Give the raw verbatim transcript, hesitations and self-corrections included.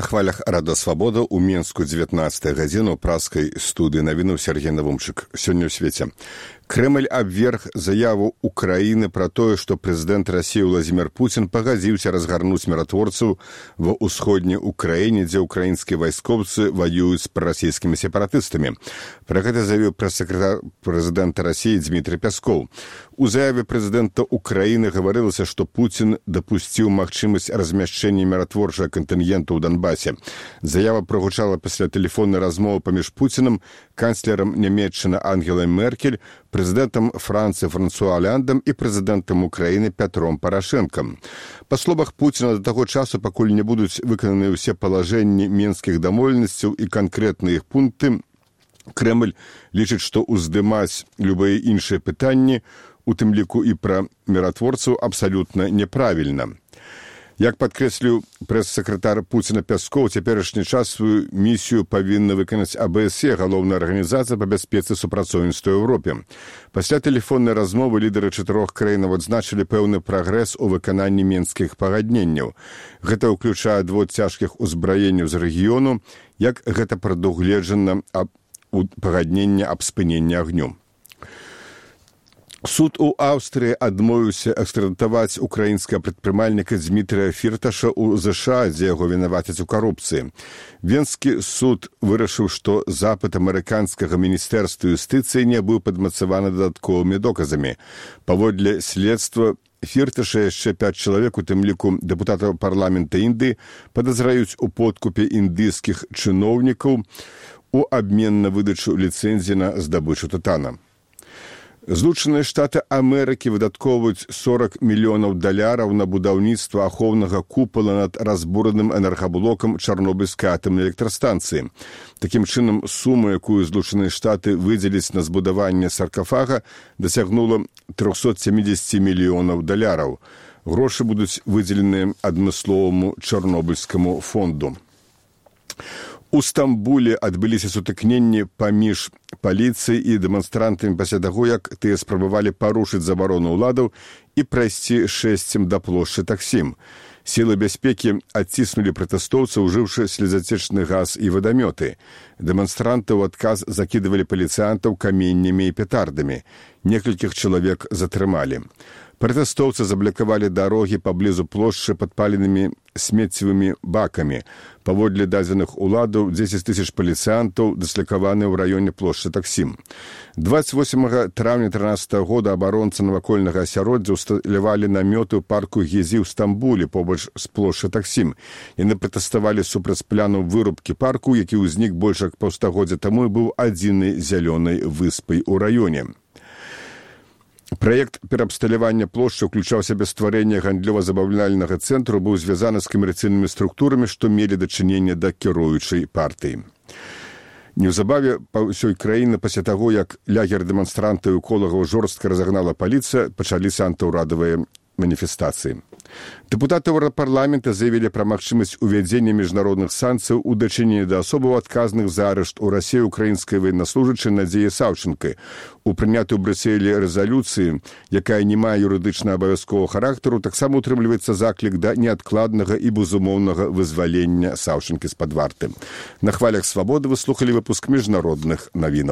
На хвалях Рада Свабода ў Менску дзевятнаццатая гадзіна ў праскай студыі навінуў Сергей Навумчык. Сёння ў свеце. Крэмль абверг заяву Украіны пра тое, што прэзідэнт Расіі Владзімір Пуцін пагадзіўся разгарнуць міратворцаў ва ўсходняй Украіне, дзе ўкраінскія вайскоўцы ваююць з прарасійскімі сепаратыстамі. Пра гэта заявіў прэс-сакратар прэзідэнта Расіі Дмітрый Пяскоў. У заяве прэзідэнта Украіны гаварылася, што Пуцін дапусціў магчымасць размяшчэння міратворчага кантынгенту ў Донбасе. Заява прагучала пасля тэлефоннай размовы паміж Пуцінам, канцлерам Нямецчыны Ангелай Меркель, прэзідэнтам Францыі Франсуа Оляндам і прэзідэнтам Украіны Пятром Парашэнкам. Па словах Пуціна, да таго часу, пакуль не будуць выкананы ўсе палажэнні менскіх дамоўленасцяў і канкрэтныя іх пункты, Крэмль лічыць, што ўздымаць любыя іншыя пытанні, у тым ліку і пра міратворцаў, абсалютна няправільна. Як падкрэсліў прэс-сакратар Пуціна Пяскоў, цяперашні час сваю місію павінна выканаць А Б С Е, галоўная арганізацыя па бяспецы супрацоўніцтва ў Еўропе. Пасля тэлефоннай размовы лідары чатырох краінаў адзначылі пэўны прагрэс у выкананні менскіх пагадненняў. Гэта ўключае адвод цяжкіх узбраенняў з рэгіёну, як гэта прадугледжана у пагадненне аб спыненні агню. Суд у Аўстрыі адмовіўся экстрадытаваць украінскага прадпрымальніка Дмітрыя Фірташа ў ЗША, дзе яго вінавацяць у карупцыі. Венскі суд вырашыў, што запыт амерыканскага міністэрства юстыцыі не быў падмацаваны дадатковымі доказамі. Паводле следства, Фірташа яшчэ пяць чалавек, у тым ліку дэпутатаў парламента Індыі, падазраюць у подкупе індыйскіх чыноўнікаў у абмен на выдачу ліцэнзіі на здабычу тытана. Злучаныя Штаты Амерыкі выдаткоўваюць сорок мільёнаў даляраў на будаўніцтва ахоўнага купала над разбураным энергаблокам Чарнобыльскай атамнай электрастанцыі. Такім чынам, сума, якую Злучаныя Штаты выдзеляць на збудаванне саркафага, дасягнула трохсот сямідзесят мільёнаў даляраў. Грошы будуць выдзеленыя адмысловаму Чарнобыльскаму фонду. У Стамбуле адбыліся сутыкненні паміж паліцыяй і дэманстрантамі пасля таго, як тыя спрабавалі парушыць забарону ўладаў і прайсці шэсцем да плошчы Таксім. Сілы бяспекі адціснулі пратэстоўцаў, ужыўшы слезацечны газ і вадамёты. Дэманстранты ў адказ закідывалі паліцыянтаў каменнямі і петардамі. Некалькіх чалавек затрымалі. Пратэстоўцы заблакавалі дарогі паблізу плошчы падпаленымі смеццевымі бакамі. Паводле дадзеных уладаў, дзесяць тысяч паліцыянтаў дыслакаваны ў раёне плошчы Таксім. дваццаць восьмага траўня трынаццатага года абаронцы навакольнага асяроддзя ўсталявалі намёты ў парку Гезі ў Стамбуле побач з плошчы Таксім. Яны пратэставалі супраць плану вырубкі парку, які ўзнік больш як паўстагоддзя таму і быў адзінай зялёнай выспай у раёне. Праект пераабсталявання плошчы ўключаў сябе стварэнне гандлёва-забаўляльнага цэнтру, быў звязаны з камерцыйнымі структурамі, што мелі дачыненне да кіруючай партыі. Неўзабаве па ўсёй краіны пасля таго, як лагер дэманстрантаў і эколагаў жорстка разагнала паліцыя, пачаліся антыўрадавыя маніфестацыі. Дэпутаты Еўрапарламента заявілі пра магчымасць увядзення міжнародных санкцыяў у дачыненні да асобаў адказных за арышт у Расіі украінскай ваеннаслужачай Надзеі Саўчэнкай. У прынятай у Брюсселі рэзалюцыі, якая не мае юрыдычна абавязковага характару, таксама утрымліваецца заклік да неадкладнага і безумоўнага вызвалення Саўчэнкі з-пад варты. На хвалях Свабоды вы слухалі выпуск міжнародных навінаў.